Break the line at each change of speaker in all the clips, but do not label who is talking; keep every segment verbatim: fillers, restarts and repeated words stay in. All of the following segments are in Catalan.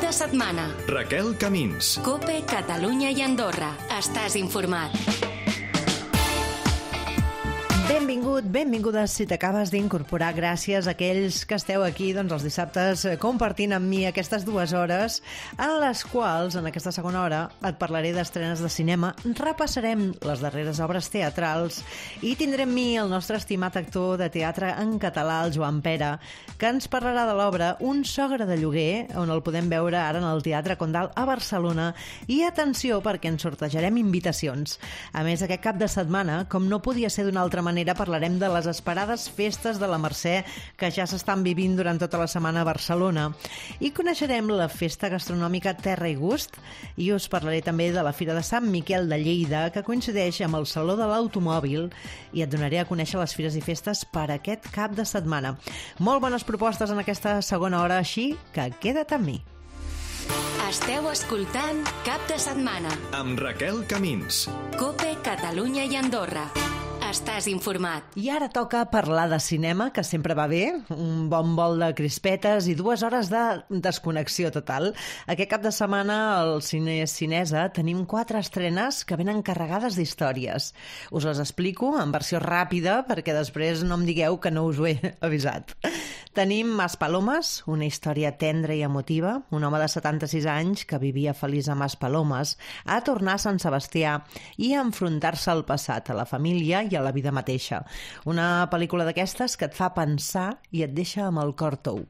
de setmana.
Raquel Camins.
COPE, Catalunya i Andorra. Estàs informat.
Benvingut, benvinguda si t'acabes d'incorporar. Gràcies a aquells que esteu aquí doncs, els dissabtes compartint amb mi aquestes dues hores en les quals, en aquesta segona hora, et parlaré d'estrenes de cinema, repassarem les darreres obres teatrals i tindrem mi el nostre estimat actor de teatre en català, el Joan Pere, que ens parlarà de l'obra Un sogre de lloguer, on el podem veure ara en el Teatre Condal a Barcelona. I atenció, perquè ens sortejarem invitacions. A més, aquest cap de setmana, com no podia ser d'una altra manera, parlarem de les esperades festes de la Mercè que ja s'estan vivint durant tota la setmana a Barcelona. I coneixerem la festa gastronòmica Terra i Gust i us parlaré també de la Fira de Sant Miquel de Lleida, que coincideix amb el Saló de l'Automòbil, i et donaré a conèixer les fires i festes per aquest cap de setmana. Molt bones propostes en aquesta segona hora, així que queda't amb mi.
Esteu escoltant Cap de Setmana
amb Raquel Camins.
COPE, Catalunya i Andorra. Estàs informat.
I ara toca parlar de cinema, que sempre va bé, un bon bol de crispetes i dues hores de desconnexió total. Aquest cap de setmana al Cine Cinesa tenim quatre estrenes que venen carregades d'històries. Us les explico en versió ràpida perquè després no em digueu que no us ho he avisat. Tenim Maspalomas, una història tendra i emotiva. Un home de setanta-sis anys que vivia feliç a Maspalomas a tornar a Sant Sebastià i a enfrontar-se al passat, a la família i a la vida mateixa. Una pel·lícula d'aquestes que et fa pensar i et deixa amb el cor tou.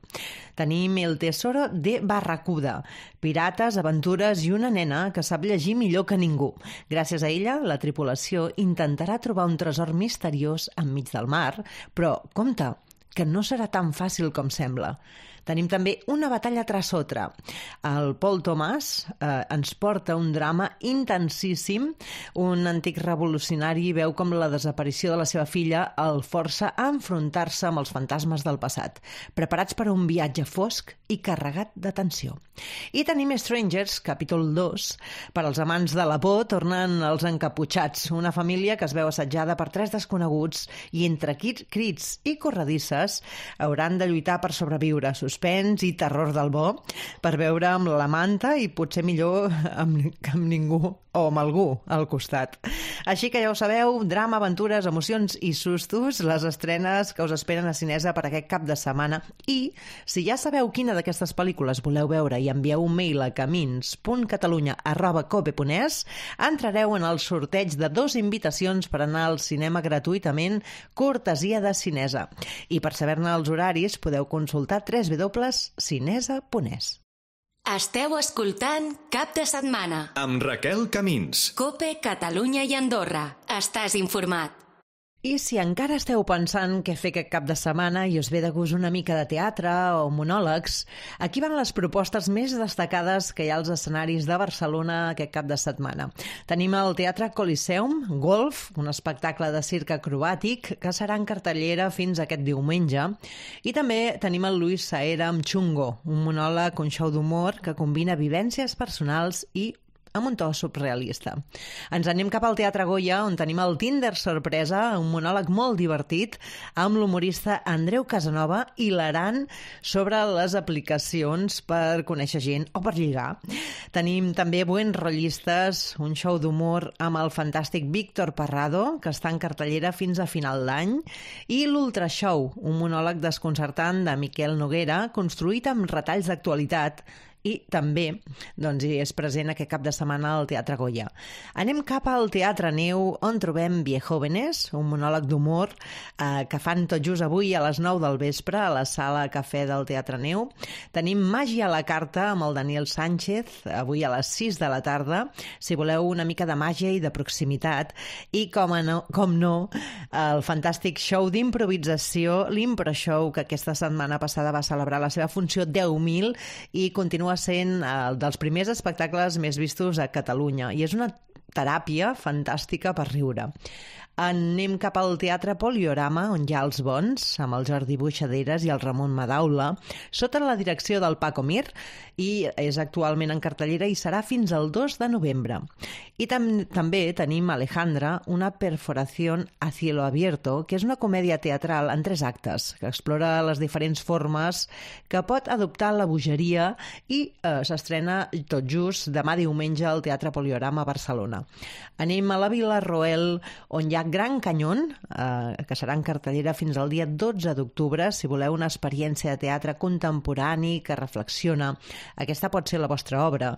Tenim El tesoro de Barracuda, pirates, aventures i una nena que sap llegir millor que ningú. Gràcies a ella, la tripulació intentarà trobar un tresor misteriós enmig del mar, però compte, que no serà tan fàcil com sembla. Tenim també Una batalla tras otra. El Paul Thomas eh, ens porta un drama intensíssim. Un antic revolucionari veu com la desaparició de la seva filla el força a enfrontar-se amb els fantasmes del passat, preparats per a un viatge fosc i carregat de tensió. I tenim Strangers, capítol dos. Per als amants de la por tornen els encaputxats, una família que es veu assetjada per tres desconeguts i entre crits i corredisses hauran de lluitar per sobreviure. Suspens i terror del bo, per veure amb la manta i potser millor amb, amb ningú o amb algú al costat. Així que ja ho sabeu, drama, aventures, emocions i sustos, les estrenes que us esperen a Cinesa per aquest cap de setmana. I si ja sabeu quina d'aquestes pel·lícules voleu veure i envieu un mail a camins punt catalunya arroba cope punt es, entrareu en el sorteig de dos invitacions per anar al cinema gratuïtament, cortesia de Cinesa. I per saber-ne els horaris podeu consultar w w w punt cinesa punt es.
Esteu escoltant Cap de Setmana
amb Raquel Camins.
COPE, Catalunya i Andorra. Estàs informat.
I si encara esteu pensant què fer aquest cap de setmana i us ve de gust una mica de teatre o monòlegs, aquí van les propostes més destacades que hi ha als escenaris de Barcelona aquest cap de setmana. Tenim el Teatre Coliseum, Golf, un espectacle de circ acrobàtic que serà en cartellera fins aquest diumenge. I també tenim el Luis Saera amb Chungo, un monòleg, un show d'humor que combina vivències personals i amb un to surrealista. Ens anem cap al Teatre Goya, on tenim el Tinder Sorpresa, un monòleg molt divertit, amb l'humorista Andreu Casanova, hilarant sobre les aplicacions per conèixer gent o per lligar. Tenim també Buen Rollistes, un show d'humor amb el fantàstic Víctor Parrado, que està en cartellera fins a final d'any, i l'Ultra Show, un monòleg desconcertant de Miquel Noguera, construït amb retalls d'actualitat, i també doncs, és present aquest cap de setmana al Teatre Goya. Anem cap al Teatre Neu, on trobem Viejóvenes, un monòleg d'humor eh, que fan tot just avui a les nou del vespre a la sala Cafè del Teatre Neu. Tenim Màgia a la carta amb el Daniel Sánchez, avui a les sis de la tarda, si voleu una mica de màgia i de proximitat. I com, no, com no, el fantàstic show d'improvisació, l'Impro Show, que aquesta setmana passada va celebrar la seva funció deu mil i continua sent el dels primers espectacles més vistos a Catalunya. I és una teràpia fantàstica per riure. Anem cap al Teatre Poliorama, on hi ha els bons, amb el Jordi Buixaderes i el Ramon Madaula, sota la direcció del Paco Mir, i és actualment en cartellera i serà fins al dos de novembre. I tam també tenim Alejandra, una perforación a cielo abierto, que és una comèdia teatral en tres actes, que explora les diferents formes que pot adoptar la bogeria i eh, s'estrena tot just demà diumenge al Teatre Poliorama a Barcelona. Anem a la Vila Roel, on hi ha Gran Canyón, eh, que serà en cartellera fins al dia dotze d'octubre. Si voleu una experiència de teatre contemporani que reflexiona, aquesta pot ser la vostra obra.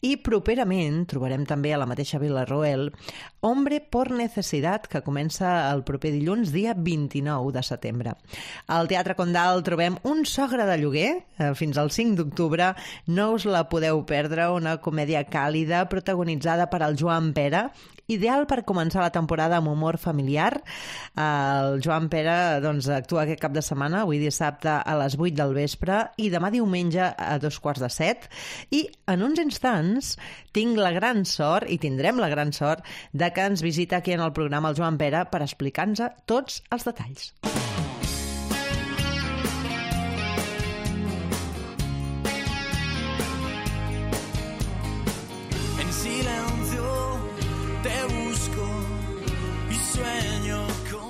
I properament trobarem també a la mateixa Vila Roel Hombre por Necesidad, que comença el proper dilluns, dia vint-i-nou de setembre. Al Teatre Condal trobem Un sogre de lloguer, eh, fins al cinc d'octubre. No us la podeu perdre, una comèdia càlida protagonitzada per el Joan Pera, ideal per començar la temporada amb humor familiar. El Joan Pera doncs, actua aquest cap de setmana, avui dissabte a les vuit del vespre i demà diumenge a dos quarts de set. I en uns instants tinc la gran sort, i tindrem la gran sort, de que ens visita aquí en el programa el Joan Pera per explicar-nos tots els detalls.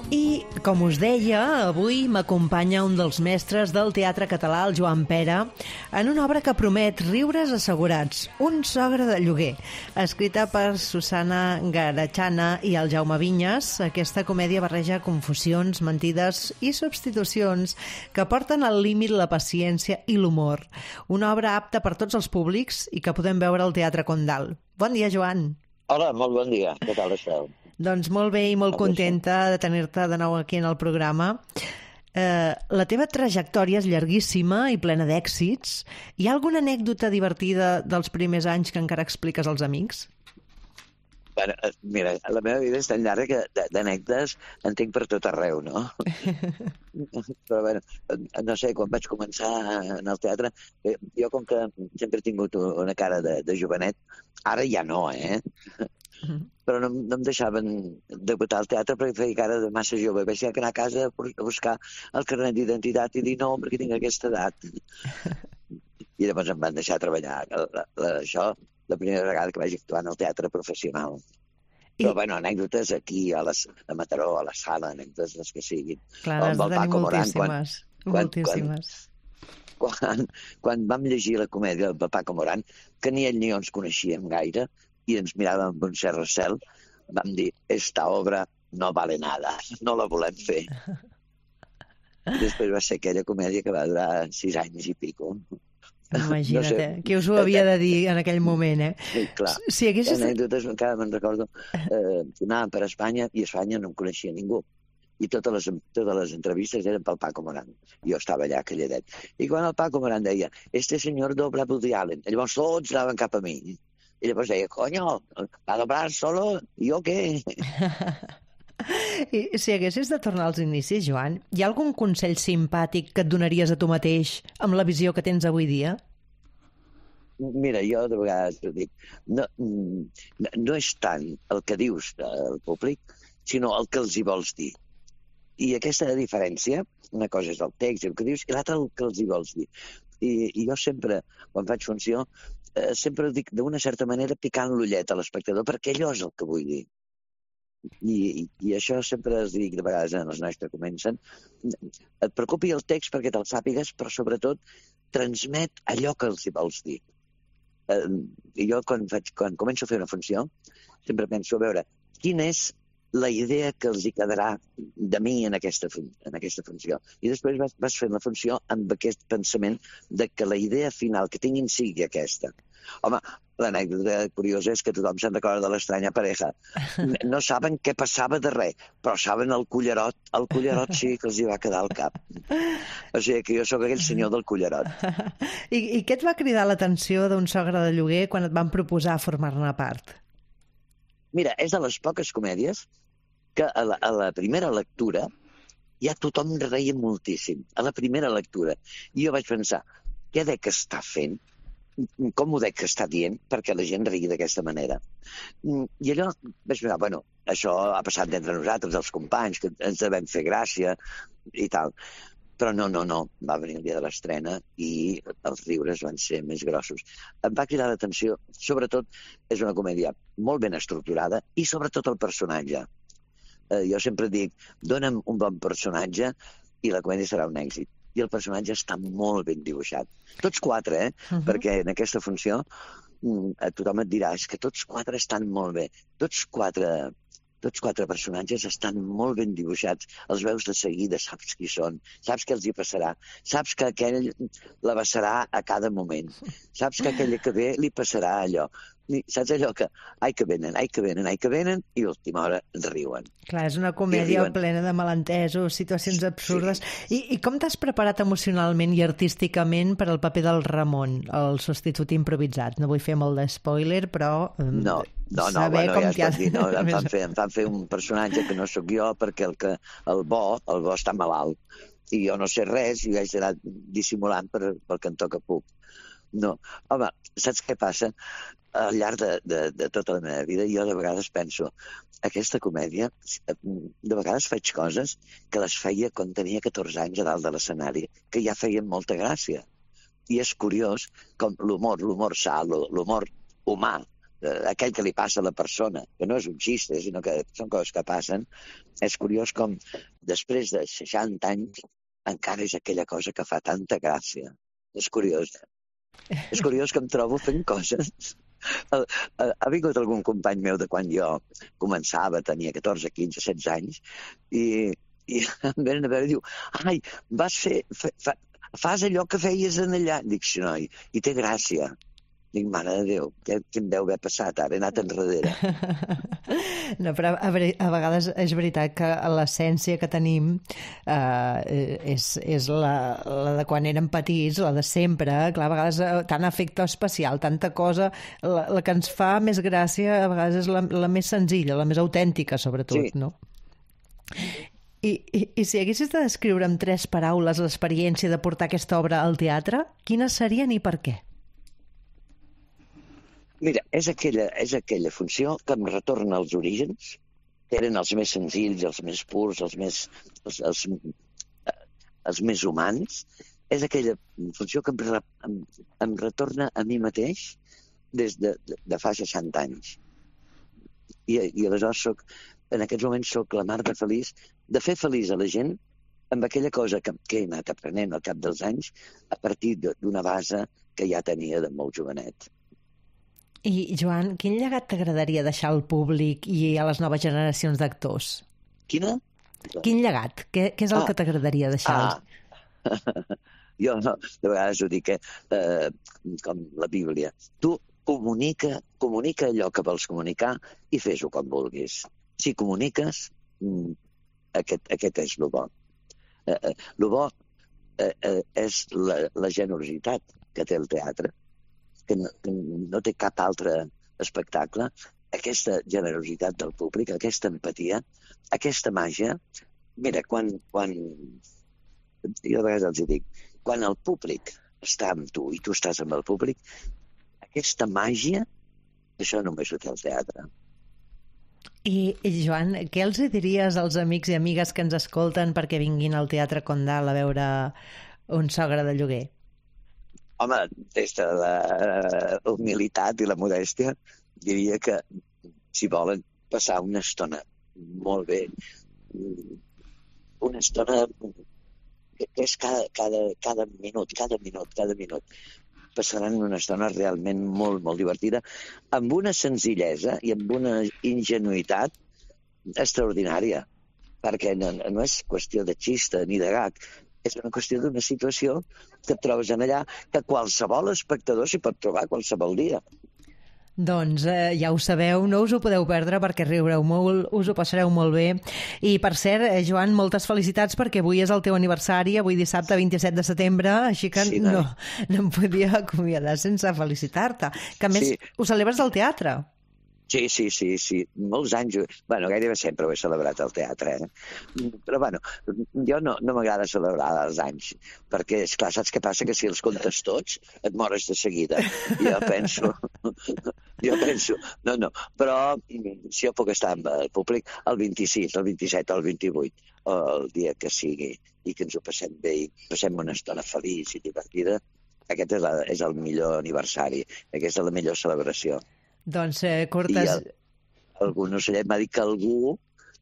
I, com us deia, avui m'acompanya un dels mestres del teatre català, el Joan Pera, en una obra que promet riures assegurats, Un sogre de lloguer, escrita per Susana Garachana i el Jaume Vinyes. Aquesta comèdia barreja confusions, mentides i substitucions que porten al límit la paciència i l'humor. Una obra apta per tots els públics i que podem veure al Teatre Condal. Bon dia, Joan.
Hola, molt bon dia. Què tal esteu?
Doncs molt bé i molt contenta de tenir-te de nou aquí en el programa. Eh, la teva trajectòria és llarguíssima i plena d'èxits. Hi ha alguna anècdota divertida dels primers anys que encara expliques als amics?
Bueno, mira, la meva vida és tan llarga que d'anècdotes en tinc per tot arreu, no? Però bueno, no sé, quan vaig començar en el teatre, jo com que sempre he tingut una cara de, de jovenet, ara ja no, eh? Però no, no em deixaven debutar al teatre perquè feia cara de massa jove. Vaig anar a casa a buscar el carnet d'identitat i dir no, perquè tinc aquesta edat. I llavors em van deixar treballar. La, la, això, la primera vegada que vaig actuar en el teatre professional. Però, I... bueno, anècdotes aquí, a, les, a Mataró, a la sala, anècdotes les que siguin.
Clar, has de tenir moltíssimes. Quan, moltíssimes.
Quan, quan, quan vam llegir la comèdia del Paco Moran, que ni ell ni jo ens coneixíem gaire, i ens miràvem amb un cert recel, vam dir, esta obra no vale nada, no la volem fer. Després va ser aquella comèdia que va durar sis anys i pico.
Imagina't, no sé, qui us ho havia de dir en aquell moment, eh?
Sí, clar.
Si haguessis...
Anècdotes, encara me'n recordo, eh, anàvem per Espanya i a Espanya no em coneixia ningú. I totes les, totes les entrevistes eren pel Paco Moran. Jo estava allà calladet. I quan el Paco Moran deia, este senyor dobla Woody Allen, llavors tots anaven cap a mi. I llavors deia, coño, va doblar solo, ¿yo qué?
I si haguessis de tornar als inicis, Joan, hi ha algun consell simpàtic que et donaries a tu mateix amb la visió que tens avui dia?
Mira, jo de vegades ho dic, no, no és tant el que dius al públic, sinó el que els hi vols dir. I aquesta diferència, una cosa és el text i el que dius, i l'altra el que els hi vols dir. I, i jo sempre, quan faig funció, eh, sempre ho dic d'una certa manera picant l'ullet a l'espectador, perquè allò és el que vull dir. I, i, i això sempre es dic de vegades en els nois que comencen. Et preocupi el text perquè te'l sàpigues, però sobretot transmet allò que els hi vols dir. Eh, I jo quan, faig, quan començo a fer una funció sempre penso a veure quina és la idea que els hi quedarà de mi en aquesta, en aquesta funció. I després vas, vas fent la funció amb aquest pensament de que la idea final que tinguin sigui aquesta. Home, l'anècdota curiosa és que tothom se'n recorda de l'estranya pareja. No saben què passava de res, però saben el cullerot. El cullerot sí que els hi va quedar al cap. O sigui que jo sóc aquell senyor del cullerot.
I, i què et va cridar l'atenció d'un sogre de lloguer quan et van proposar formar-ne part?
Mira, és de les poques comèdies que a la, a la primera lectura ja tothom reia moltíssim. A la primera lectura. I jo vaig pensar, què dec estar fent com ho dec que està dient perquè la gent rigui d'aquesta manera. I allò vaig pensar, bueno, això ha passat d'entre nosaltres, els companys, que ens devem fer gràcia i tal. Però no, no, no, va venir el dia de l'estrena i els riures van ser més grossos. Em va cridar l'atenció, sobretot, és una comèdia molt ben estructurada i sobretot el personatge. Eh, jo sempre dic, dona'm un bon personatge i la comèdia serà un èxit. I el personatge està molt ben dibuixat. Tots quatre, eh? Uh-huh. Perquè en aquesta funció eh, tothom et dirà és que tots quatre estan molt bé. Tots quatre, tots quatre personatges estan molt ben dibuixats. Els veus de seguida, saps qui són, saps què els hi passarà, saps que aquell la passarà a cada moment, saps que aquella que ve li passarà allò. Saps allò que, ai que venen, ai que venen, ai que venen, i a l'última hora riuen.
Clar, és una comèdia plena de malentesos, situacions absurdes. Sí. I, I com t'has preparat emocionalment i artísticament per al paper del Ramon, el substitut improvisat? No vull fer molt de spoiler, però
no, no, no, bueno, ja es pot dir, no, em, fan fer, em fan fer un personatge que no sóc jo perquè el, que, el bo, el bo està malalt. I jo no sé res i haig d'anar dissimulant per, pel que em toca puc. No, home, saps què passa? Al llarg de, de, de tota la meva vida jo de vegades penso aquesta comèdia, de vegades faig coses que les feia quan tenia catorze anys a dalt de l'escenari, que ja feien molta gràcia. I és curiós com l'humor, l'humor sa, l'humor humà, aquell que li passa a la persona, que no és un xiste, sinó que són coses que passen, és curiós com després de seixanta anys encara és aquella cosa que fa tanta gràcia. És curiós. És curiós que em trobo fent coses. Ha vingut algun company meu de quan jo començava, tenia catorze, quinze, setze anys, i, i em venen a veure i diu, ai, vas fer, fa, fa, fas allò que feies en allà. Dic, sí, noi, i té gràcia. Dic, mare de Déu, què, què em deu haver passat ara? He anat enrere.
No, però a, a vegades és veritat que l'essència que tenim eh, és, és la, la de quan érem petits, la de sempre. Clar, a vegades tant efecte especial, tanta cosa, la, la que ens fa més gràcia a vegades és la, la més senzilla, la més autèntica, sobretot, sí. No? I, i, I si haguessis de descriure amb tres paraules l'experiència de portar aquesta obra al teatre, quines serien i per què?
Mira, és aquella, és aquella funció que em retorna als orígens, que eren els més senzills, els més purs, els més, els, els, els més humans. És aquella funció que em, em, em retorna a mi mateix des de, de, de fa seixanta anys. I, i aleshores soc, en aquests moments soc la mar de feliç, de fer feliç a la gent amb aquella cosa que, que he anat aprenent al cap dels anys a partir d'una base que ja tenia de molt jovenet.
I, Joan, quin llegat t'agradaria deixar al públic i a les noves generacions d'actors?
Quina?
Quin llegat? Què, què és el ah. que t'agradaria deixar?
Ah. Jo no, de vegades ho dic, eh, com la Bíblia. Tu comunica, comunica allò que vols comunicar i fes-ho com vulguis. Si comuniques, aquest, aquest és el bo. Eh, eh, el bo eh, eh, és la, la generositat que té el teatre, que no, que no té cap altre espectacle, aquesta generositat del públic, aquesta empatia, aquesta màgia. Mira, quan, quan jo a vegades els dic, quan el públic està amb tu i tu estàs amb el públic, aquesta màgia, això només ho té el teatre.
I, Joan, què els diries als amics i amigues que ens escolten perquè vinguin al Teatre Condal a veure Un sogre de lloguer?
Home, des de la humilitat i la modèstia, diria que si volen passar una estona molt bé, una estona que és cada, cada, cada minut, cada minut, cada minut, passaran una estona realment molt, molt divertida, amb una senzillesa i amb una ingenuïtat extraordinària, perquè no, no és qüestió de xista ni de gag, és una qüestió d'una situació que et trobes en allà que qualsevol espectador s'hi pot trobar qualsevol dia.
Doncs eh, ja ho sabeu, no us ho podeu perdre perquè riureu molt, us ho passareu molt bé. I per cert, eh, Joan, moltes felicitats perquè avui és el teu aniversari, avui dissabte vint-i-set de setembre, així que sí, no, no em podia acomiadar sense felicitar-te. Que a més sí. Ho celebres al teatre.
Sí, sí, sí, sí, molts anys, bueno, gairebé sempre ho he celebrat al teatre, eh? Però, bueno, jo no, no m'agrada celebrar els anys, perquè, esclar, saps què passa? Que si els comptes tots, et mores de seguida. Jo penso, jo penso, no, no, però si jo puc estar amb el públic el vint-i-sis, el vint-i-set, el vint-i-vuit, o el dia que sigui, i que ens ho passem bé i passem una estona feliç i divertida, aquest és, la, és el millor aniversari, aquesta és la millor celebració.
Doncs, eh, Cortes...
I el, algú, no sé, m'ha dit que algú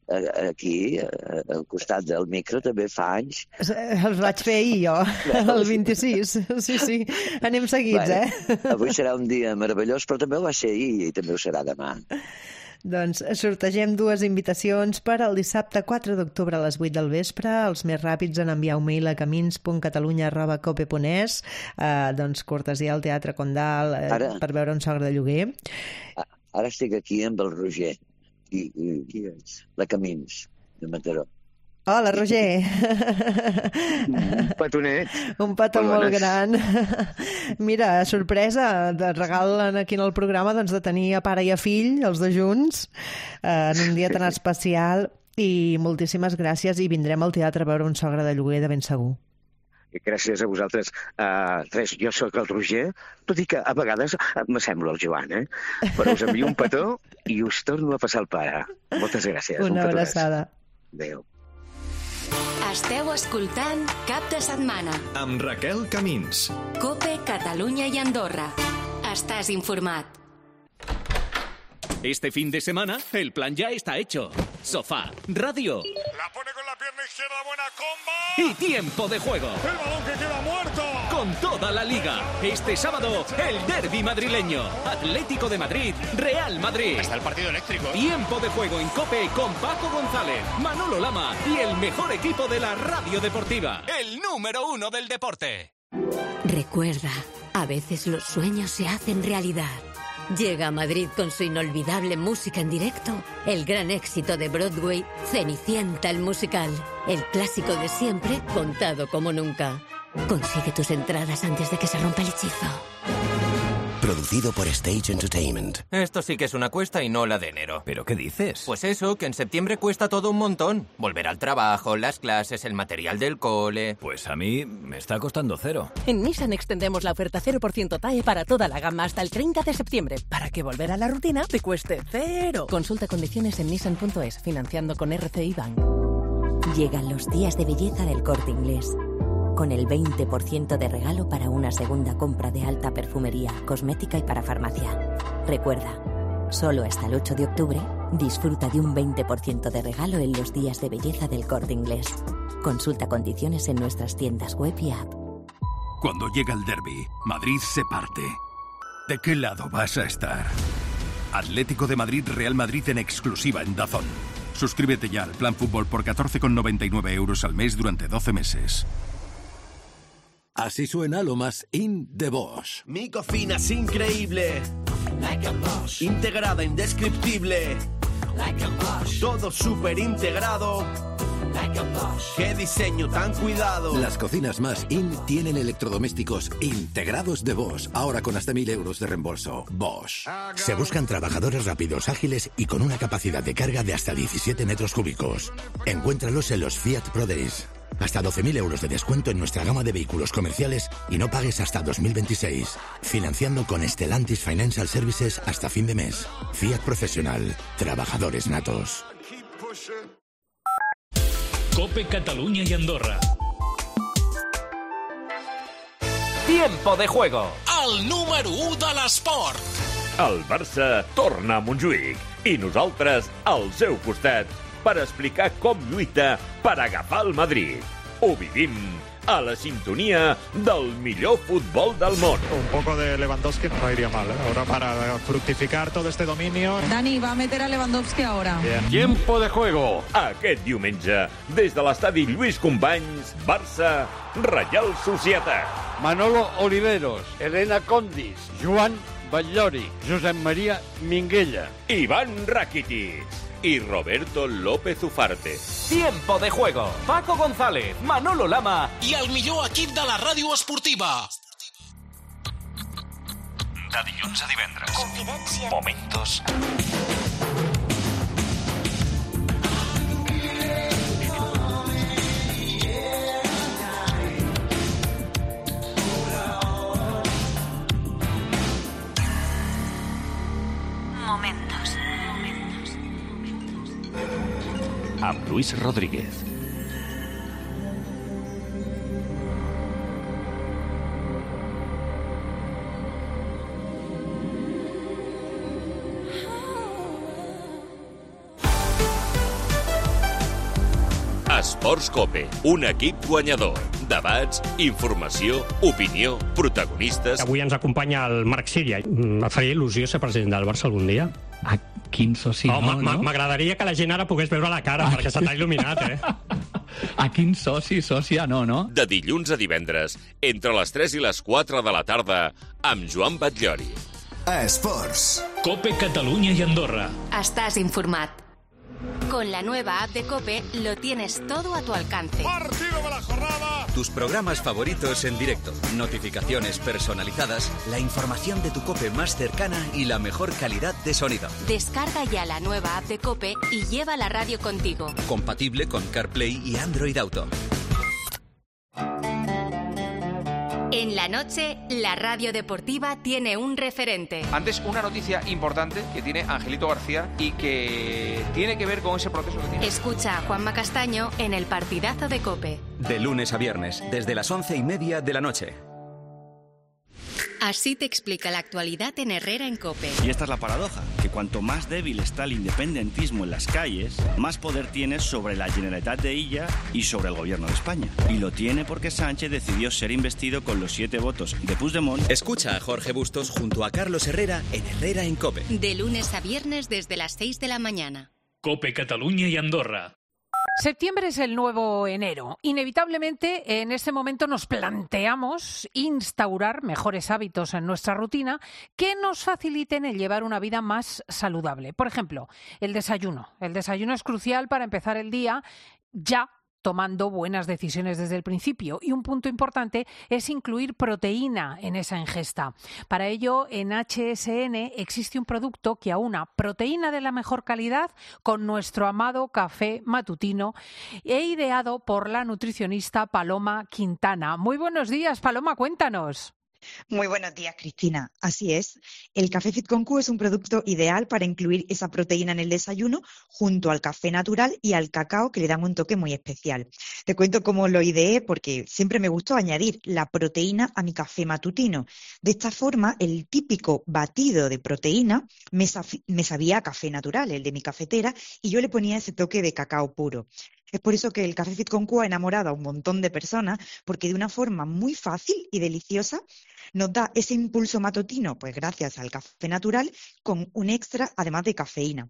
eh, aquí, eh, al costat del micro, també fa anys.
Els vaig fer ahir, jo, el vint-i-sis. Sí, sí, anem seguits,
bueno,
eh?
Avui serà un dia meravellós, però també ho va ser ahir i també ho serà demà.
Doncs sortegem dues invitacions per al dissabte quatre d'octubre a les vuit del vespre. Els més ràpids en enviar un mail a camins punt catalunya arroba cope punt es, eh, doncs cortesia al Teatre Condal, eh, Ara... per veure un sogre de lloguer.
Ara estic aquí amb el Roger, i, i, i la Camins, de Mataró.
Hola, Roger.
Un petonet.
Un petó molt, molt gran. Mira, sorpresa, de regal aquí en el programa doncs, de tenir a pare i a fill, els dos junts, eh, en un dia tan especial, i moltíssimes gràcies, i vindrem al teatre a veure un sogre de lloguer de ben segur.
Gràcies a vosaltres. Uh, res, jo sóc el Roger, tot i que a vegades m'assemblo al Joan, eh? Però us envio un petó i us torno a passar el pare. Moltes gràcies.
Una abraçada.
Adéu.
Esteu escoltant Cap de Setmana
amb Raquel Camins.
Cope, Catalunya i Andorra. Estàs informat.
Este fin de semana, el plan ya está hecho. Sofá, radio.
La pone con la pierna izquierda, buena comba.
Y tiempo de juego.
El balón que queda muerto.
Con toda la liga. Este sábado, el derbi madrileño. Atlético de Madrid, Real Madrid.
Está el partido eléctrico.
Tiempo de juego en COPE con Paco González, Manolo Lama y el mejor equipo de la radio deportiva. El número uno del deporte.
Recuerda, a veces los sueños se hacen realidad. Llega a Madrid con su inolvidable música en directo, el gran éxito de Broadway, Cenicienta el musical, el clásico de siempre contado como nunca. Consigue tus entradas antes de que se rompa el hechizo.
Producido por Stage Entertainment.
Esto sí que es una cuesta y no la de enero.
¿Pero qué dices?
Pues eso, que en septiembre cuesta todo un montón. Volver al trabajo, las clases, el material del cole...
Pues a mí me está costando cero.
En Nissan extendemos la oferta cero por ciento T A E para toda la gama hasta el treinta de septiembre, para que volver a la rutina te cueste cero. Consulta condiciones en nissan punto es, financiando con R C I Bank.
Llegan los días de belleza del Corte Inglés. Con el veinte por ciento de regalo para una segunda compra de alta perfumería, cosmética y para farmacia. Recuerda, solo hasta el ocho de octubre, disfruta de un veinte por ciento de regalo en los días de belleza del Corte Inglés. Consulta condiciones en nuestras tiendas web y app.
Cuando llega el derbi, Madrid se parte. ¿De qué lado vas a estar? Atlético de Madrid, Real Madrid en exclusiva en DAZN. Suscríbete ya al Plan Fútbol por catorce con noventa y nueve euros al mes durante doce meses.
Así suena lo más in de Bosch.
Mi cocina es increíble. Like a Bosch. Integrada, indescriptible. Like a Bosch. Todo súper integrado. Like a Bosch. Qué diseño tan cuidado.
Las cocinas más in tienen electrodomésticos integrados de Bosch. Ahora con hasta mil euros de reembolso. Bosch.
Se buscan trabajadores rápidos, ágiles y con una capacidad de carga de hasta diecisiete metros cúbicos. Encuéntralos en los Fiat Pro Days. Hasta doce mil euros de descuento en nuestra gama de vehículos comerciales y no pagues hasta dos mil veintiséis. Financiando con Stellantis Financial Services hasta fin de mes. Fiat Profesional. Trabajadores natos.
Cope Catalunya i Andorra.
Tiempo de juego.
El número u de l'esport.
El Barça torna a Montjuïc i nosaltres al seu costat per explicar com lluita per agafar el Madrid. Ho vivim a la sintonia del millor futbol del món.
Un poco de Lewandowski no iría mal, ¿eh? Ahora para fructificar todo este dominio.
Dani va a meter a Lewandowski ahora.
Bien. Tiempo de juego. Aquest diumenge, des de l'estadi Lluís Companys, Barça, Reial Societat.
Manolo Oliveros, Elena Condis, Joan Batllori, Josep Maria Minguella,
Iván Rakitic y Roberto López Ufarte.
Tiempo de juego. Paco González, Manolo Lama
i el millor equip de la ràdio esportiva.
De dilluns a divendres. Confidència. Momentos.
Momentos.
Amb Luis Rodríguez.
Esports Cope, un equip guanyador. Debats, informació, opinió, protagonistes...
Avui ens acompanya el Marc Síria. Et faria il·lusió ser president del Barça algun dia?
A quin soci
oh,
no, no?
M'agradaria que la gent ara pogués veure la cara, perquè se t'ha il·luminat, eh?
A quin soci, sòcia, no, no?
De dilluns a divendres, entre les tres i les quatre de la tarda, amb Joan Batllori.
Esports.
Cope Catalunya y Andorra.
Estás informat. Con la nueva app de COPE lo tienes todo a tu alcance.
Partido de la jornada.
Tus programas favoritos en directo, notificaciones personalizadas, la información de tu COPE más cercana y la mejor calidad de sonido.
Descarga ya la nueva app de COPE y lleva la radio contigo.
Compatible con CarPlay y Android Auto.
En la noche, la radio deportiva tiene un referente.
Antes, una noticia importante que tiene Angelito García y que tiene que ver con ese proceso que tiene.
Escucha a Juanma Castaño en el partidazo de COPE.
De lunes a viernes, desde las once y media de la noche.
Así te explica la actualidad en Herrera en COPE.
Y esta es la paradoja, que cuanto más débil está el independentismo en las calles, más poder tienes sobre la Generalitat de Illa y sobre el gobierno de España. Y lo tiene porque Sánchez decidió ser investido con los siete votos de Puigdemont.
Escucha a Jorge Bustos junto a Carlos Herrera en Herrera en COPE.
De lunes a viernes desde las seis de la mañana.
Cope Catalunya y Andorra.
Septiembre es el nuevo enero. Inevitablemente, en este momento nos planteamos instaurar mejores hábitos en nuestra rutina que nos faciliten el llevar una vida más saludable. Por ejemplo, el desayuno. El desayuno es crucial para empezar el día ya tomando buenas decisiones desde el principio. Y un punto importante es incluir proteína en esa ingesta. Para ello, en H S N existe un producto que aúna proteína de la mejor calidad con nuestro amado café matutino e ideado por la nutricionista Paloma Quintana. Muy buenos días, Paloma, cuéntanos.
Muy buenos días, Cristina. Así es. El Café Fit con Q es un producto ideal para incluir esa proteína en el desayuno junto al café natural y al cacao, que le dan un toque muy especial. Te cuento cómo lo ideé porque siempre me gustó añadir la proteína a mi café matutino. De esta forma, el típico batido de proteína me, saf- me sabía a café natural, el de mi cafetera, y yo le ponía ese toque de cacao puro. Es por eso que el Café Fit con Q ha enamorado a un montón de personas, porque de una forma muy fácil y deliciosa nos da ese impulso matutino, pues gracias al café natural, con un extra además de cafeína.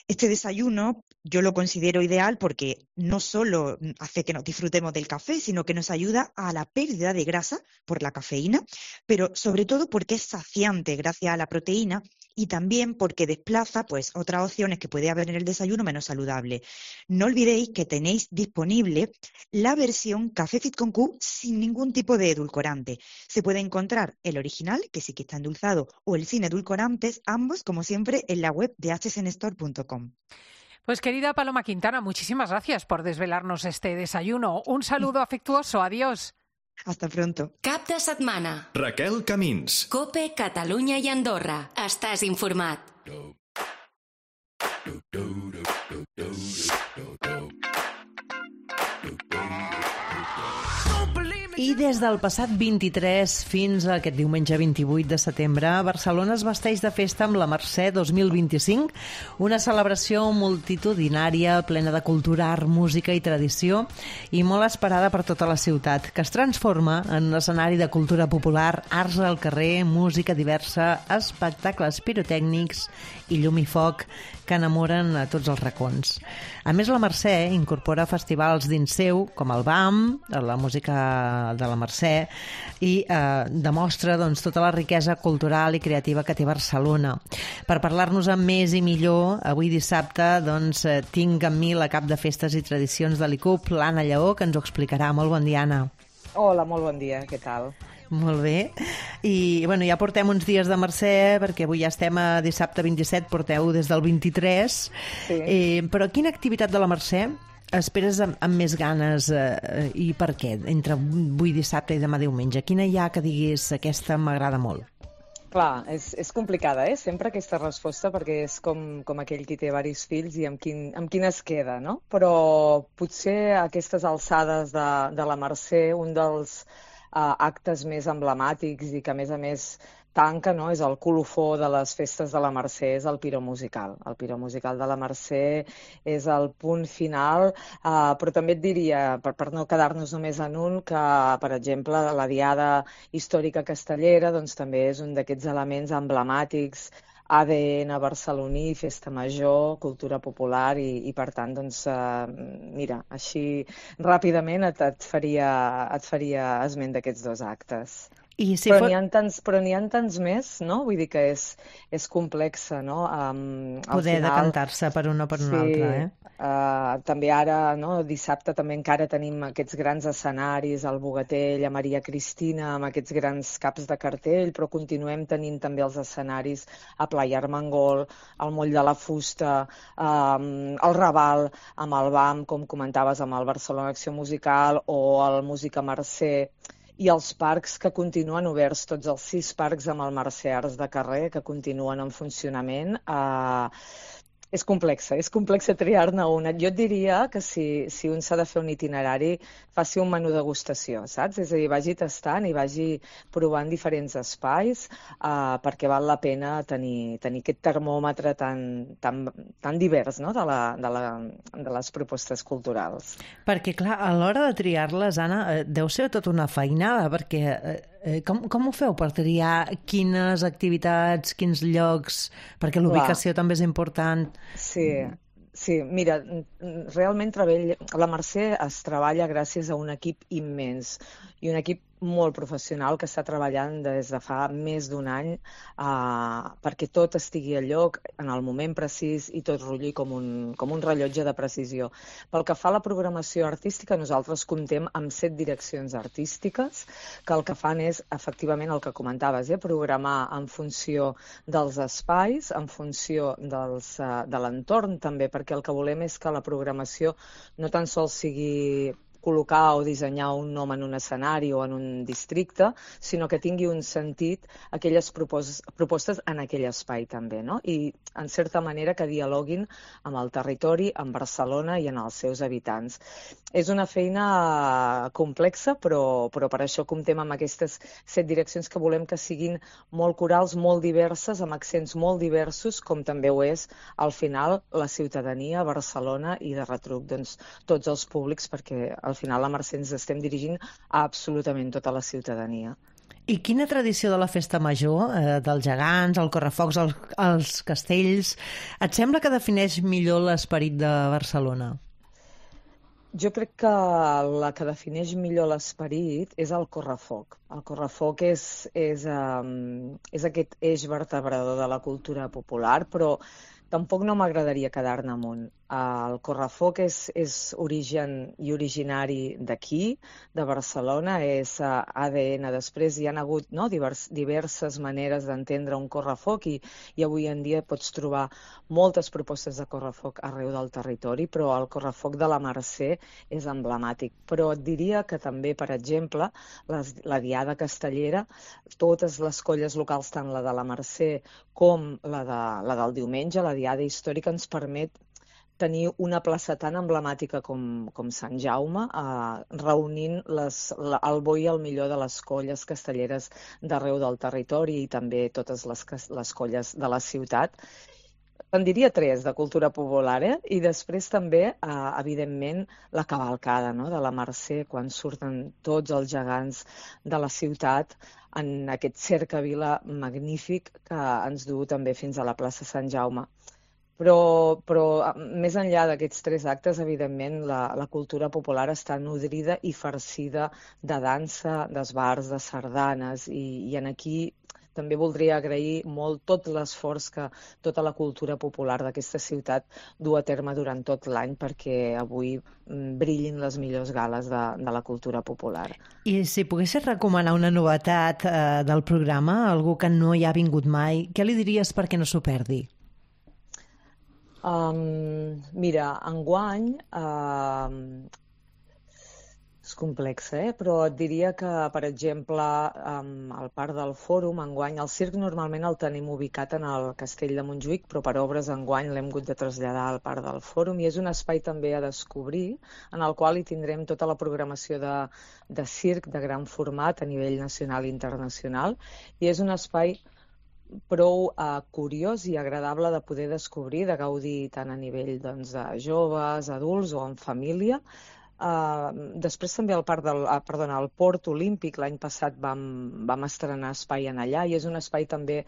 Este desayuno yo lo considero ideal porque no solo hace que nos disfrutemos del café, sino que nos ayuda a la pérdida de grasa por la cafeína, pero sobre todo porque es saciante gracias a la proteína y también porque desplaza pues otras opciones que puede haber en el desayuno menos saludable. No olvidéis que tenéis disponible la versión Café Fit con Q sin ningún tipo de edulcorante. Se puede encontrar el original, que sí que está endulzado, o el sin edulcorantes, ambos, como siempre, en la web de h s n store punto com.
Pues querida Paloma Quintana, muchísimas gracias por desvelarnos este desayuno. Un saludo afectuoso. Adiós.
Hasta pronto.
Cap de setmana.
Raquel Camins.
Cope, Catalunya i Andorra. Estàs informat.
I des del passat vint-i-tres fins a aquest diumenge vint-i-vuit de setembre, Barcelona es vesteix de festa amb la Mercè dos mil vint-i-cinc, una celebració multitudinària, plena de cultura, art, música i tradició, i molt esperada per tota la ciutat, que es transforma en un escenari de cultura popular, arts al carrer, música diversa, espectacles pirotècnics i llum i foc que enamoren a tots els racons. A més, la Mercè incorpora festivals dins seu, com el B A M, la música de la Mercè, i eh, demostra doncs, tota la riquesa cultural i creativa que té Barcelona. Per parlar-nos amb més i millor, avui dissabte doncs, eh, tinc amb mi la cap de festes i tradicions de l'I C U P, l'Anna Lleó, que ens ho explicarà. Molt bon dia, Anna.
Hola, molt bon dia, què tal?
Molt bé. I bueno, ja portem uns dies de Mercè, perquè avui ja estem a dissabte vint-i-set, porteu des del vint-i-tres. Sí. Eh, però quina activitat de la Mercè esperes amb, amb més ganes eh, i per què? Entre avui dissabte i demà diumenge. Quina hi ha que diguis aquesta m'agrada molt?
Clar, és, és complicada, eh? Sempre aquesta resposta, perquè és com, com aquell qui té diversos fills i amb quin, amb quin es queda, no? Però potser a aquestes alçades de, de la Mercè, un dels uh, actes més emblemàtics i que a més a més tanca, no? És el colofó de les festes de la Mercè, és el piromusical. El piromusical de la Mercè és el punt final, uh, però també et diria, per, per no quedar-nos només en un, que, per exemple, la Diada Històrica Castellera doncs, també és un d'aquests elements emblemàtics, A D N barceloní, festa major, cultura popular i, i per tant, doncs, uh, mira, així ràpidament et, et, faria, et faria esment d'aquests dos actes. I si però n'hi ha tants, però n'hi ha tants més, no? Vull dir que és, és complexa, no? Um,
Poder final, decantar-se per un o per un
sí,
altre, eh?
Uh, també ara, no? Dissabte també encara tenim aquests grans escenaris, al Bogatell, a Maria Cristina, amb aquests grans caps de cartell, però continuem tenint també els escenaris a Playa Armengol, al Moll de la Fusta, um, al Raval, amb el B A M, com comentaves, amb el Barcelona Acció Musical, o el Música Mercè, i els parcs que continuen oberts, tots els sis parcs amb el Mercè Arts de Carrer que continuen en funcionament. Eh, és complexa, és complexa triar-ne una. Jo et diria que si, si un s'ha de fer un itinerari, faci un menú degustació, saps? És a dir, vagi tastant i vagi provant diferents espais eh, perquè val la pena tenir, tenir aquest termòmetre tan, tan, tan divers, no? de, la, de, la, de les propostes culturals.
Perquè, clar, a l'hora de triar-les, Anna, eh, deu ser tota una feinada, perquè eh, com, com ho feu per triar quines activitats, quins llocs, perquè l'ubicació també és important.
Sí, sí, mira, realment treball, la Mercè es treballa gràcies a un equip immens i un equip molt professional que està treballant des de fa més d'un any eh, perquè tot estigui a lloc en el moment precís i tot rotlli com un, com un rellotge de precisió. Pel que fa a la programació artística, nosaltres comptem amb set direccions artístiques que el que fan és, efectivament, el que comentaves, eh, programar en funció dels espais, en funció dels, eh, de l'entorn també, perquè el que volem és que la programació no tan sols sigui col·locar o dissenyar un nom en un escenari o en un districte, sinó que tingui un sentit aquelles propos propostes en aquell espai també, no? I, en certa manera, que dialoguin amb el territori, amb Barcelona i en els seus habitants. És una feina complexa, però, però per això comptem amb aquestes set direccions que volem que siguin molt corals, molt diverses, amb accents molt diversos, com també ho és, al final, la ciutadania, Barcelona i de retruc, doncs, tots els públics, perquè al final la Mercè ens estem dirigint a absolutament tota la ciutadania.
I quina tradició de la festa major, eh, dels gegants, el correfocs, el, els castells, et sembla que defineix millor l'esperit de Barcelona?
Jo crec que la que defineix millor l'esperit és el correfoc. El correfoc és, és, um, és aquest eix vertebrador de la cultura popular, però tampoc no m'agradaria quedar-ne amunt. El correfoc és, és origen i originari d'aquí, de Barcelona, és A D N. Després hi ha hagut, no, divers, diverses maneres d'entendre un correfoc i, i avui en dia pots trobar moltes propostes de correfoc arreu del territori, però el correfoc de la Mercè és emblemàtic. Però et diria que també, per exemple, les, la Diada Castellera, totes les colles locals, tant la de la Mercè com la, de, la del diumenge, la Diada Històrica, ens permet tenir una plaça tan emblemàtica com, com Sant Jaume, eh, reunint les, la, el bo i el millor de les colles castelleres d'arreu del territori i també totes les, les colles de la ciutat. En diria tres de cultura popular, eh? I després també, eh, evidentment, la cavalcada, no?, de la Mercè, quan surten tots els gegants de la ciutat en aquest cercavila magnífic que ens du també fins a la plaça Sant Jaume. Però, però més enllà d'aquests tres actes, evidentment, la, la cultura popular està nodrida i farcida de dansa, d'esbars, de sardanes, i, i en aquí també voldria agrair molt tot l'esforç que tota la cultura popular d'aquesta ciutat du a terme durant tot l'any perquè avui brillin les millors gales de, de la cultura popular.
I si poguessis recomanar una novetat eh, del programa, algú que no hi ha vingut mai, què li diries perquè no s'ho perdi?
Um, mira, enguany uh, és complex, eh? Però et diria que, per exemple, um, al Parc del Fòrum, enguany, el circ normalment el tenim ubicat en el Castell de Montjuïc, però per obres enguany l'hem hagut de traslladar al Parc del Fòrum i és un espai també a descobrir en el qual hi tindrem tota la programació de, de circ de gran format a nivell nacional i internacional i és un espai prou uh, curiós i agradable de poder descobrir, de gaudir tant a nivell doncs, de joves, adults o en família. Uh, després també al parc del, uh, perdona, al Port Olímpic l'any passat vam, vam estrenar espai en allà i és un espai també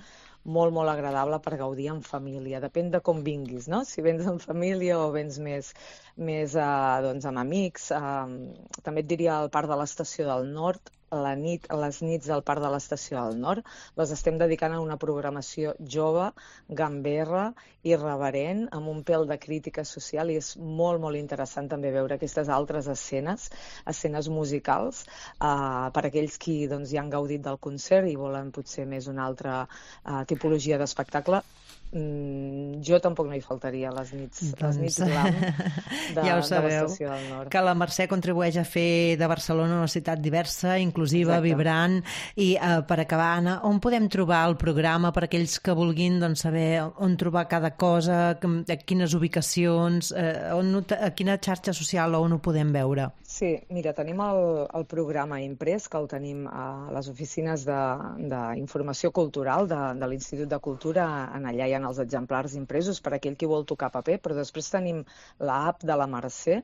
molt, molt agradable per gaudir en família. Depèn de com vinguis, no? Si vens en família o vens més, més uh, doncs, amb amics. Uh, també et diria al Parc de l'Estació del Nord, la nit, les nits del Parc de l'Estació del Nord, les estem dedicant a una programació jove, gamberra, irreverent, amb un pèl de crítica social i és molt, molt interessant també veure aquestes altres escenes, escenes musicals, eh, per aquells qui doncs, ja han gaudit del concert i volen potser més una altra eh, tipologia d'espectacle. Mm, jo tampoc no hi faltaria les nits, doncs, les nits glam de,
ja ho
de l'Estació del Nord.
Que la Mercè contribueix a fer de Barcelona una ciutat diversa, inclusiva, exacte, vibrant. I uh, per acabar, Anna, on podem trobar el programa per aquells que vulguin doncs, saber on trobar cada cosa, a quines ubicacions, uh, on, a quina xarxa social o on ho podem veure?
Sí, mira, tenim el, el programa imprès, que el tenim a les oficines d'informació cultural de, de l'Institut de Cultura, en allà hi ha els exemplars impresos per aquell qui vol tocar paper, però després tenim l'app de la Mercè,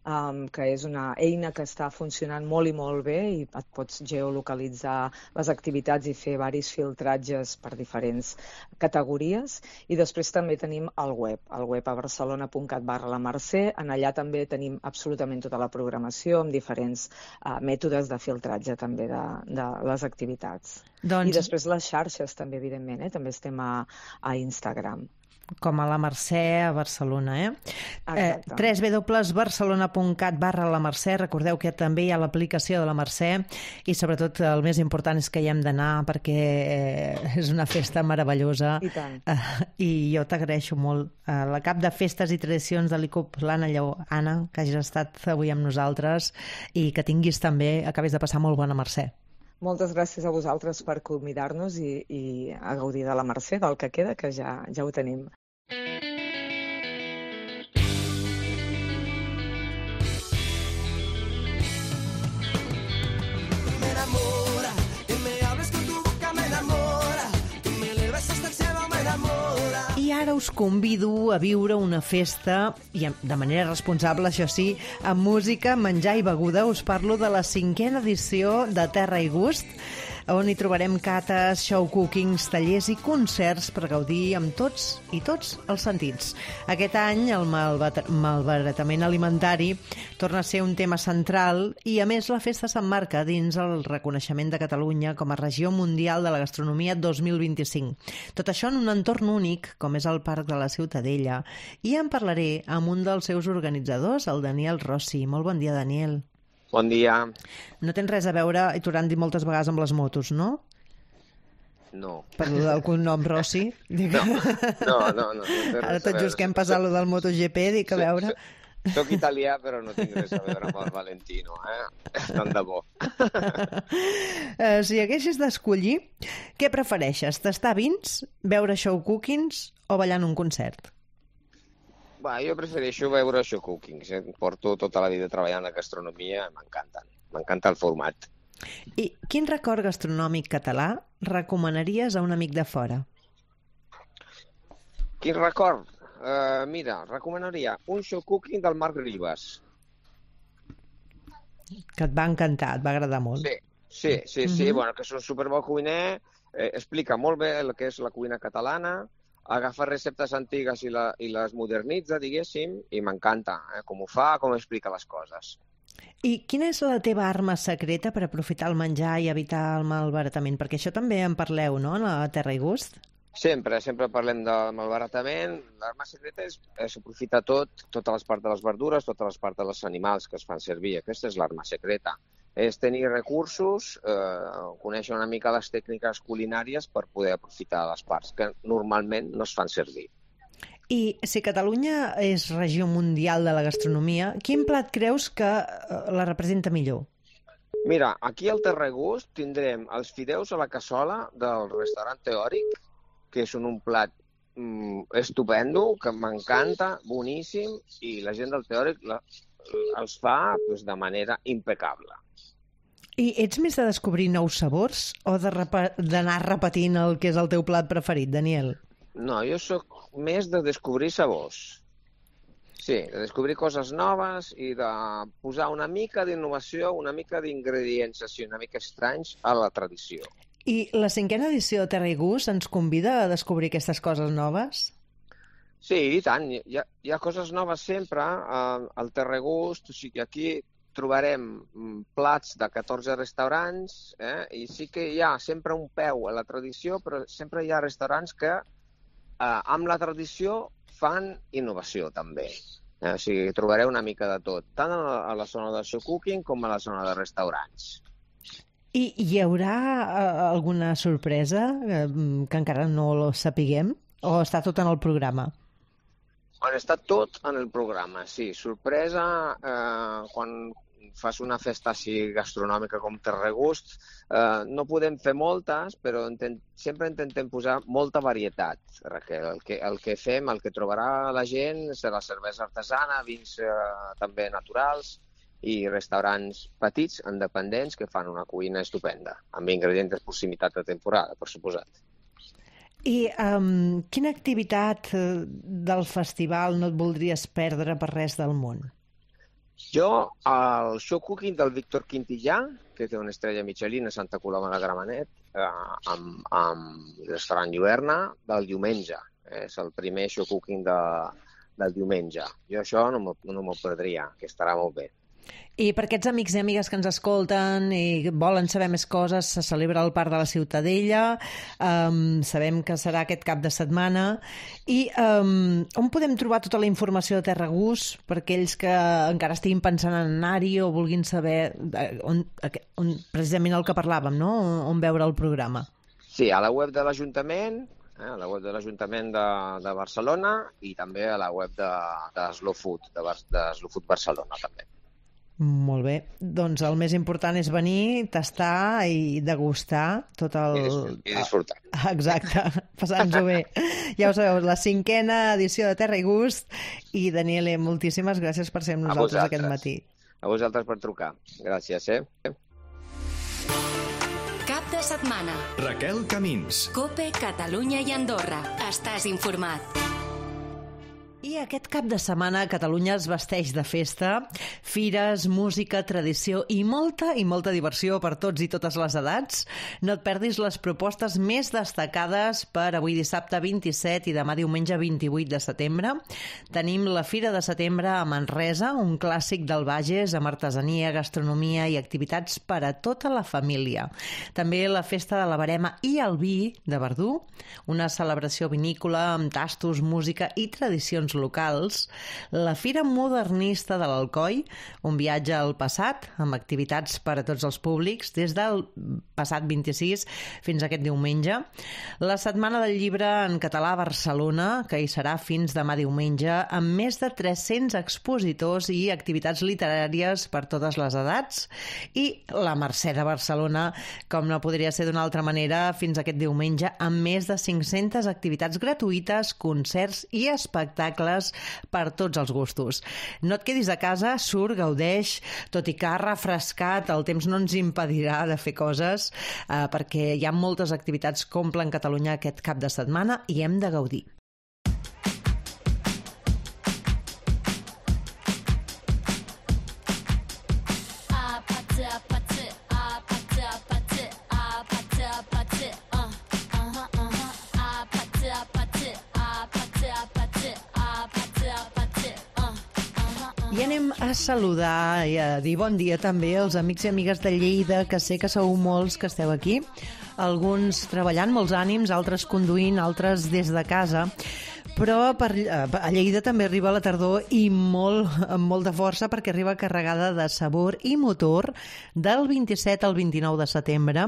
um, que és una eina que està funcionant molt i molt bé i et pots geolocalitzar les activitats i fer varis filtratges per diferents categories. I després també tenim el web, el web a barcelona punt cat barra la Mercè. En allà també tenim absolutament tota la programació amb diferents uh, mètodes de filtratge també de, de les activitats. Doncs... I després les xarxes també, evidentment, eh? També estem a, a Instagram.
Com a la Mercè a Barcelona, eh? eh w w w punt barcelona punt cat barra la Mercè. Recordeu que també hi ha l'aplicació de la Mercè i sobretot el més important és que hi hem d'anar perquè eh, és una festa meravellosa.
I tant.
Eh, I jo t'agraeixo molt. Eh, la cap de Festes i Tradicions de l'I C U P, l'Anna Lleó. Anna, que hagis estat avui amb nosaltres i que tinguis també, acabis de passar molt bona Mercè.
Moltes gràcies a vosaltres per convidar-nos i, i a gaudir de la Mercè, del que queda, que ja, ja ho tenim.
I ara us convido a viure una festa, i de manera responsable, això sí, amb música, menjar i beguda. Us parlo de la cinquena edició de Terra i Gust, on hi trobarem cates, show cookings, tallers i concerts per gaudir amb tots i tots els sentits. Aquest any el malbaratament alimentari torna a ser un tema central i, a més, la festa s'emmarca dins el reconeixement de Catalunya com a regió mundial de la gastronomia dos mil vint-i-cinc. Tot això en un entorn únic, com és el Parc de la Ciutadella, i en parlaré amb un dels seus organitzadors, el Daniel Rossi. Molt bon dia, Daniel.
Bon dia.
No tens res a veure, i t'ho han dit moltes vegades, amb les motos, no?
No.
Per lo del cognom Rossi?
No, no, no. no, no
Ara tot just que hem passat lo del MotoGP, dic a veure...
Soc italià, però no tinc res a veure amb el Valentino, eh? Tant de bo.
uh, si haguessis d'escollir, què prefereixes? Tastar vins, veure show cookings o ballar en un concert?
Va, jo prefereixo veure show cookings. Eh? Porto tota la vida treballant a gastronomia, m'encanten. M'encanta el format.
I quin record gastronòmic català recomanaries a un amic de fora?
Quin record? Uh, mira, recomanaria un show cooking del Marc Ribas.
Que et va encantar, et va agradar molt.
Sí, sí, sí, sí. Uh-huh. Bueno, que és un superbo cuiner, eh, explica molt bé el que és la cuina catalana, agafa receptes antigues i, la, i les modernitza, diguéssim, i m'encanta eh, com ho fa, com explica les coses.
I quina és la teva arma secreta per aprofitar el menjar i evitar el malbaratament? Perquè això també en parleu, no?, a Terra i Gust.
Sempre, sempre parlem del malbaratament. L'arma secreta és, és aprofitar tot, totes les parts de les verdures, totes les parts dels animals que es fan servir. Aquesta és l'arma secreta. És tenir recursos, eh, conèixer una mica les tècniques culinàries per poder aprofitar les parts que normalment no es fan servir.
I si Catalunya és regió mundial de la gastronomia, quin plat creus que la representa millor?
Mira, aquí al Terra i Gust tindrem els fideus a la cassola del restaurant Teòric, que són un plat mm, estupendo, que m'encanta, boníssim, i la gent del Teòric la, els fa pues, de manera impecable.
I ets més de descobrir nous sabors o d'anar repetint el que és el teu plat preferit, Daniel?
No, jo sóc més de descobrir sabors. Sí, de descobrir coses noves i de posar una mica d'innovació, una mica d'ingredients així una mica estranys a la tradició.
I la cinquena edició de Terra i Gust ens convida a descobrir aquestes coses noves?
Sí, i tant. Hi ha, hi ha coses noves sempre eh, al Terra i Gust. O sigui, aquí trobarem plats de catorze restaurants eh, i sí que hi ha sempre un peu a la tradició, però sempre hi ha restaurants que Uh, amb la tradició fan innovació també. Eh, o sigui, trobareu una mica de tot, tant a la, a la zona de show cooking com a la zona de restaurants.
I hi haurà uh, alguna sorpresa uh, que encara no lo sapiguem? O està tot en el programa?
Bueno, està tot en el programa, sí. Sorpresa, eh, quan fas una festa així gastronòmica com Terra i Gust, eh, no podem fer moltes, però intent, sempre intentem posar molta varietat. Raquel. El que, el que fem, el que trobarà la gent, serà cervesa artesana, vins eh, també naturals i restaurants petits, independents, que fan una cuina estupenda, amb ingredients de proximitat de temporada, per suposat.
I um, quina activitat del festival no et voldries perdre per res del món?
Jo, el show cooking del Víctor Quintillà, que té una estrella Michelin a Santa Coloma de Gramenet, eh, amb, amb el restaurant Lluerna, del diumenge. És el primer show cooking de, del diumenge. Jo això no m'ho no perdria, que estarà molt bé.
I per aquests amics i amigues que ens escolten i volen saber més coses, se celebra al Parc de la Ciutadella, um, sabem que serà aquest cap de setmana, i um, on podem trobar tota la informació de Terra i Gust per aquells que encara estiguin pensant en anar-hi o vulguin saber on, on, precisament el que parlàvem, no? On, on veure el programa?
Sí, a la web de l'Ajuntament, eh, a la web de l'Ajuntament de, de Barcelona i també a la web de, de Slow Food, de, de Slow Food Barcelona també.
Molt bé. Doncs el més important és venir, tastar i degustar tot el...
I disfrutar.
Exacte, passant-nos-ho bé. Ja ho sabeu, la cinquena edició de Terra i Gust. I, Daniele, moltíssimes gràcies per ser amb nosaltres aquest matí.
A vosaltres per trucar. Gràcies, eh?
Cap de setmana.
Raquel Camins.
COPE, Catalunya i Andorra. Estàs informat.
I aquest cap de setmana Catalunya es vesteix de festa, fires, música, tradició i molta i molta diversió per tots i totes les edats. No et perdis les propostes més destacades per avui dissabte vint-i-set i demà diumenge vint-i-vuit de setembre. Tenim la Fira de Setembre a Manresa, un clàssic del Bages amb artesania, gastronomia i activitats per a tota la família. També la Festa de la Verema i el Vi de Verdú, una celebració vinícola amb tastos, música i tradicions locals, la Fira Modernista de l'Alcoi, un viatge al passat amb activitats per a tots els públics des del passat vint-i-sis fins a aquest diumenge, la Setmana del Llibre en català a Barcelona, que hi serà fins demà diumenge, amb més de tres-cents expositors i activitats literàries per totes les edats, i la Mercè de Barcelona, com no podria ser d'una altra manera, fins aquest diumenge, amb més de cinc-centes activitats gratuïtes, concerts i espectacles per tots els gustos. No et quedis a casa, surt, gaudeix, tot i que ha refrescat, el temps no ens impedirà de fer coses, eh, perquè hi ha moltes activitats que omplen Catalunya aquest cap de setmana i hem de gaudir. I anem a saludar i a dir bon dia també als amics i amigues de Lleida, que sé que sou molts que esteu aquí. Alguns treballant, molts ànims, altres conduint, altres des de casa. Però per, a Lleida també arriba la tardor i molt, amb molta força, perquè arriba carregada de sabor i motor del vint-i-set al vint-i-nou de setembre.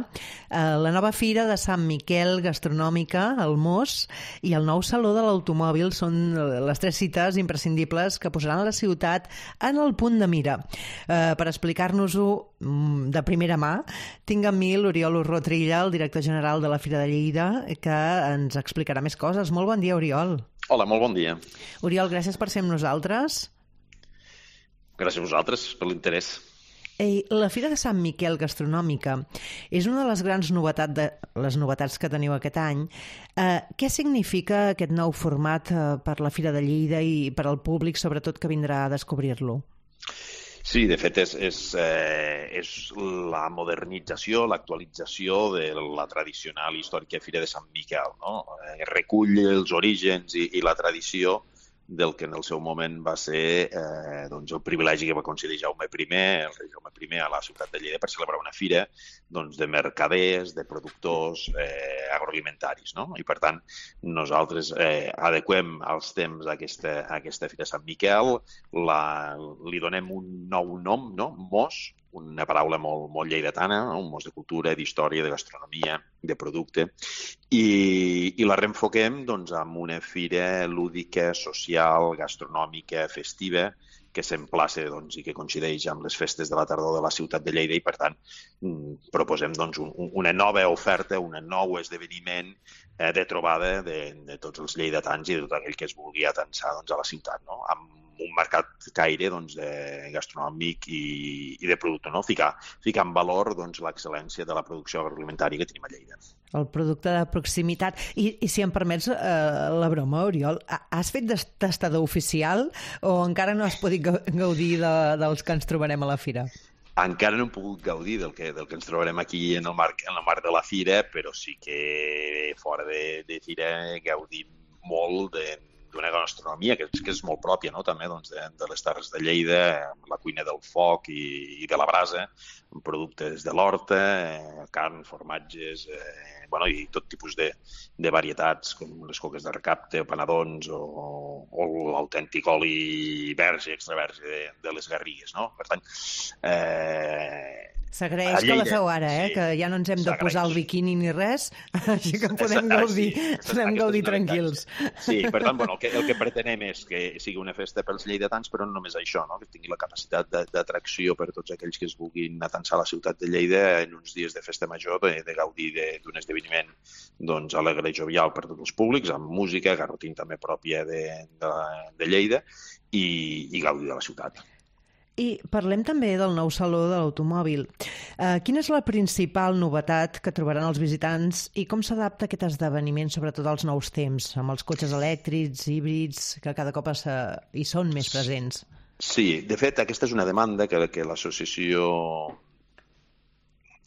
La nova fira de Sant Miquel gastronòmica, el Mos, i el nou Saló de l'Automòbil són les tres cites imprescindibles que posaran la ciutat en el punt de mira. Per explicar-nos-ho de primera mà, tinc amb mi l'Oriol Urrotrilla, el director general de la Fira de Lleida, que ens explicarà més coses. Molt bon dia, Oriol.
Hola, molt bon dia.
Oriol, gràcies per ser amb nosaltres.
Gràcies a vosaltres per l'interès.
Ei, la Fira de Sant Miquel Gastronòmica és una de les grans novetats, de, les novetats que teniu aquest any. Eh, què significa aquest nou format eh, per la Fira de Lleida i per al públic, sobretot, que vindrà a descobrir-lo?
Sí, de fet, és, és, eh, és la modernització, l'actualització de la tradicional històrica Fira de Sant Miquel, no? Eh, recull els orígens i, i la tradició del que en el seu moment va ser eh, doncs el privilegi que va concedir Jaume primer, el rei Jaume primer, a la ciutat de Lleida per celebrar una fira doncs, de mercaders, de productors eh, agroalimentaris. No? I, per tant, nosaltres eh, adequem als temps a aquesta, a aquesta Fira de Sant Miquel, la, li donem un nou nom, no? Mos, una paraula molt, molt lleidatana, no? Un mos de cultura, d'història, de gastronomia, de producte, i, i la reenfoquem doncs, amb una fira lúdica, social, gastronòmica, festiva, que s'emplaça doncs, i que coincideix amb les festes de la tardor de la ciutat de Lleida i, per tant, proposem doncs, un, una nova oferta, un nou esdeveniment eh, de trobada de, de tots els lleidatans i de tot aquell que es vulgui atansar doncs, a la ciutat, no? Amb un mercat caire doncs, de gastronòmic i, i de producte, no? Ficar, ficar en valor doncs, l'excel·lència de la producció agroalimentària que tenim a Lleida.
El producte de proximitat. I, i si em permets eh, la broma, Oriol, has fet tastador oficial o encara no has pogut gaudir de, dels que ens trobarem a la fira?
Encara no hem pogut gaudir del que, del que ens trobarem aquí en el marc, en el marc de la fira, però sí que fora de, de fira gaudim molt de d'una gastronomia que és, que és molt pròpia, no? També doncs, de, de les Terres de Lleida, la cuina del foc i, i de la brasa, amb productes de l'horta, eh, carn, formatges, eh, bueno, i tot tipus de, de varietats, com les coques de recapte, panadons o, o l'autèntic oli verge, extra verge de, de les Garrigues, no? Per tant, eh,
s'agraeix que la feu ara, eh? Sí, que ja no ens hem de posar el biquini ni res, així que podem gaudir, sí, podem gaudir tranquils.
Sí, per tant, bueno, el que, el que pretenem és que sigui una festa pels lleidatans, però no només això, no? Que tingui la capacitat d'atracció per tots aquells que es vulguin atansar a la ciutat de Lleida en uns dies de festa major, de, de gaudir d'un esdeveniment doncs, alegre i jovial per tots els públics, amb música, garrotín també pròpia de, de, de Lleida, i, i gaudir de la ciutat.
I parlem també del nou Saló de l'Automòbil. Uh, quina és la principal novetat que trobaran els visitants i com s'adapta aquest esdeveniment, sobretot als nous temps, amb els cotxes elèctrics, híbrids, que cada cop es, uh, hi són més presents?
Sí, de fet, aquesta és una demanda que, que l'associació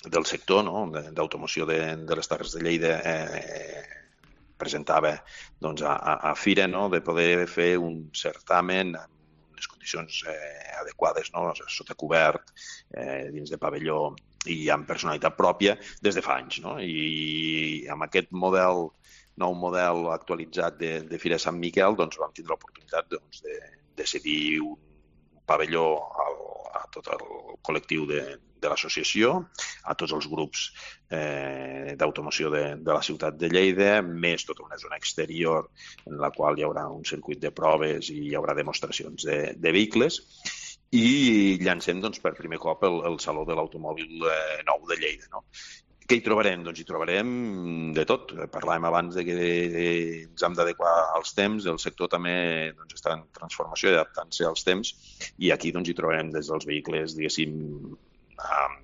del sector, no? d'automoció de, de les Terres de Lleida eh, presentava doncs, a, a Fira, no? De poder fer un certamen amb les condicions eh, adequades, no? Sota cobert, eh, dins de pavelló i amb personalitat pròpia des de fa anys. No? I amb aquest model, nou model actualitzat de, de Fira de Sant Miquel, doncs vam tindre l'oportunitat doncs, de, de cedir un pavelló al, a tot el col·lectiu de, de l'associació, a tots els grups eh, d'automoció de, de la ciutat de Lleida, més tota una zona exterior en la qual hi haurà un circuit de proves i hi haurà demostracions de, de vehicles, i llancem doncs, per primer cop el, el Saló de l'Automòbil eh, nou de Lleida. No? Què hi trobarem? Doncs hi trobarem de tot. Parlàvem abans de que ens hem d'adequar als temps, el sector també doncs, està en transformació i adaptant-se als temps, i aquí doncs, hi trobarem des dels vehicles, diguéssim, amb,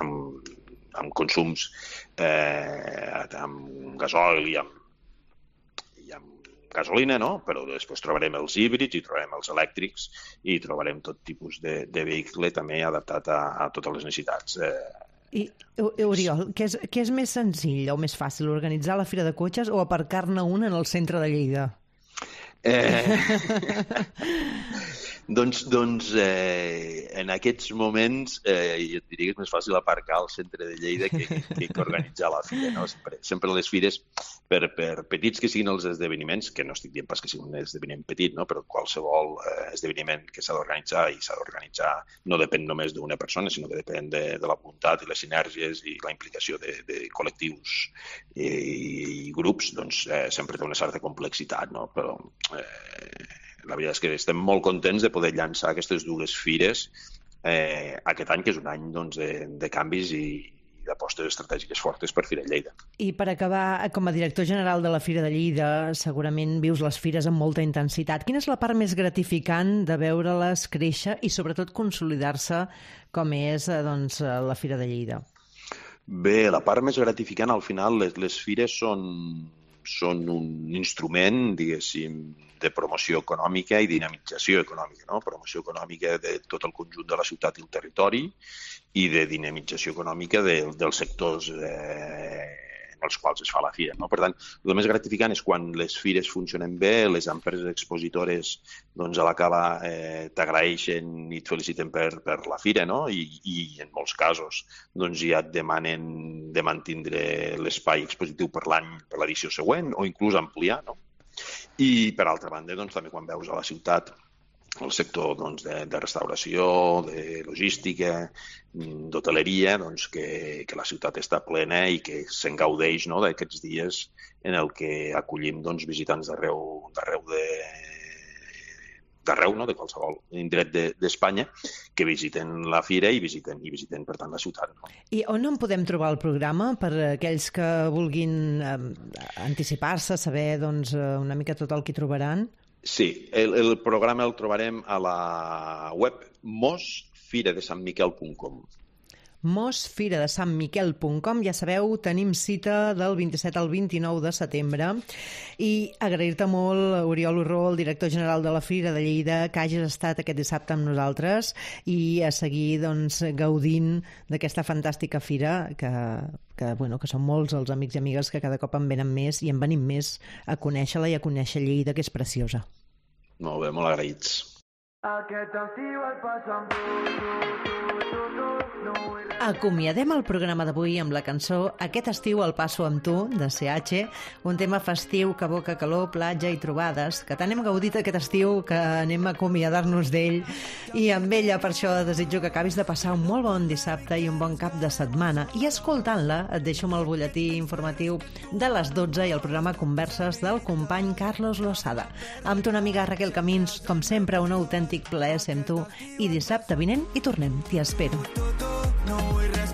amb, amb consums eh, amb gasoil i amb, i amb gasolina, no? Però després trobarem els híbrids, i trobarem els elèctrics, i trobarem tot tipus de, de vehicle també adaptat a, a totes les necessitats. Eh,
I, Oriol, què és, què és més senzill o més fàcil, organitzar la fira de cotxes o aparcar-ne un en el centre de Lleida?
Eh... Doncs, doncs eh, en aquests moments eh, jo et diria que és més fàcil aparcar al centre de Lleida que, que, que organitzar la fira. No? Sempre, sempre les fires, per, per petits que siguin els esdeveniments, que no estic dient pas que sigui un esdeveniment petit, no? Però qualsevol eh, esdeveniment que s'ha d'organitzar i s'ha d'organitzar no depèn només d'una persona, sinó que depèn de, de la voluntat i les sinergies i la implicació de, de col·lectius i, i grups, doncs eh, sempre té una certa complexitat, no? Però eh, la veritat és que estem molt contents de poder llançar aquestes dues fires eh, aquest any, que és un any doncs, de, de canvis i d'apostes estratègiques fortes per Fira Lleida.
I per acabar, com a director general de la Fira de Lleida, segurament vius les fires amb molta intensitat. Quina és la part més gratificant de veure-les créixer i sobretot consolidar-se com és doncs, la Fira de Lleida?
Bé, la part més gratificant, al final, les, les fires són, són un instrument, diguéssim, de promoció econòmica i dinamització econòmica, no? Promoció econòmica de tot el conjunt de la ciutat i el territori i de dinamització econòmica de, dels sectors eh, en els quals es fa la fira, no? Per tant, el més gratificant és quan les fires funcionen bé, les empreses expositores doncs, a l'acabar eh, t'agraeixen i et feliciten per, per la fira, no? I, i en molts casos doncs, ja et demanen de mantindre l'espai expositiu per l'any, per l'edició següent o inclús ampliar, no? I, per altra banda, doncs, també quan veus a la ciutat el sector doncs, de, de restauració, de logística, d'hoteleria, doncs, que, que la ciutat està plena i que se'n gaudeix, no?, d'aquests dies en el que acollim doncs, visitants d'arreu d'arreu de d'arreu, no?, de qualsevol indret d'Espanya, que visiten la fira i visiten, i visiten per tant, la ciutat. No?
I on en podem trobar el programa per aquells que vulguin eh, anticipar-se, saber doncs, una mica tot el que trobaran?
Sí, el, el programa el trobarem a la web mos fira de sant miquel punt com.
mos fira de sant miquel punt com. Ja sabeu, tenim cita del vint-i-set al vint-i-nou de setembre i agrair-te molt, Oriol Urró, el director general de la Fira de Lleida, que hagis estat aquest dissabte amb nosaltres i a seguir doncs, gaudint d'aquesta fantàstica fira que, que, bueno, que són molts els amics i amigues que cada cop en venen més i en venim més a conèixer-la i a conèixer Lleida, que és preciosa.
Molt bé, molt agraïts.
Aquest estiu el passo amb tu, tu, tu, tu, tu, no vull...
Acomiadem el programa d'avui amb la cançó Aquest estiu el passo amb tu, de C H, un tema festiu que evoca calor, platja i trobades, que tant hem gaudit aquest estiu que anem a acomiadar-nos d'ell, i amb ella per això desitjo que acabis de passar un molt bon dissabte i un bon cap de setmana. I escoltant-la et deixo amb el butlletí informatiu de les dotze i el programa Converses del company Carlos Losada. Amb tu una amiga Raquel Camins, com sempre, un autèntic plaer ser amb tu, i dissabte vinent hi tornem, t'hi espero.
No vull res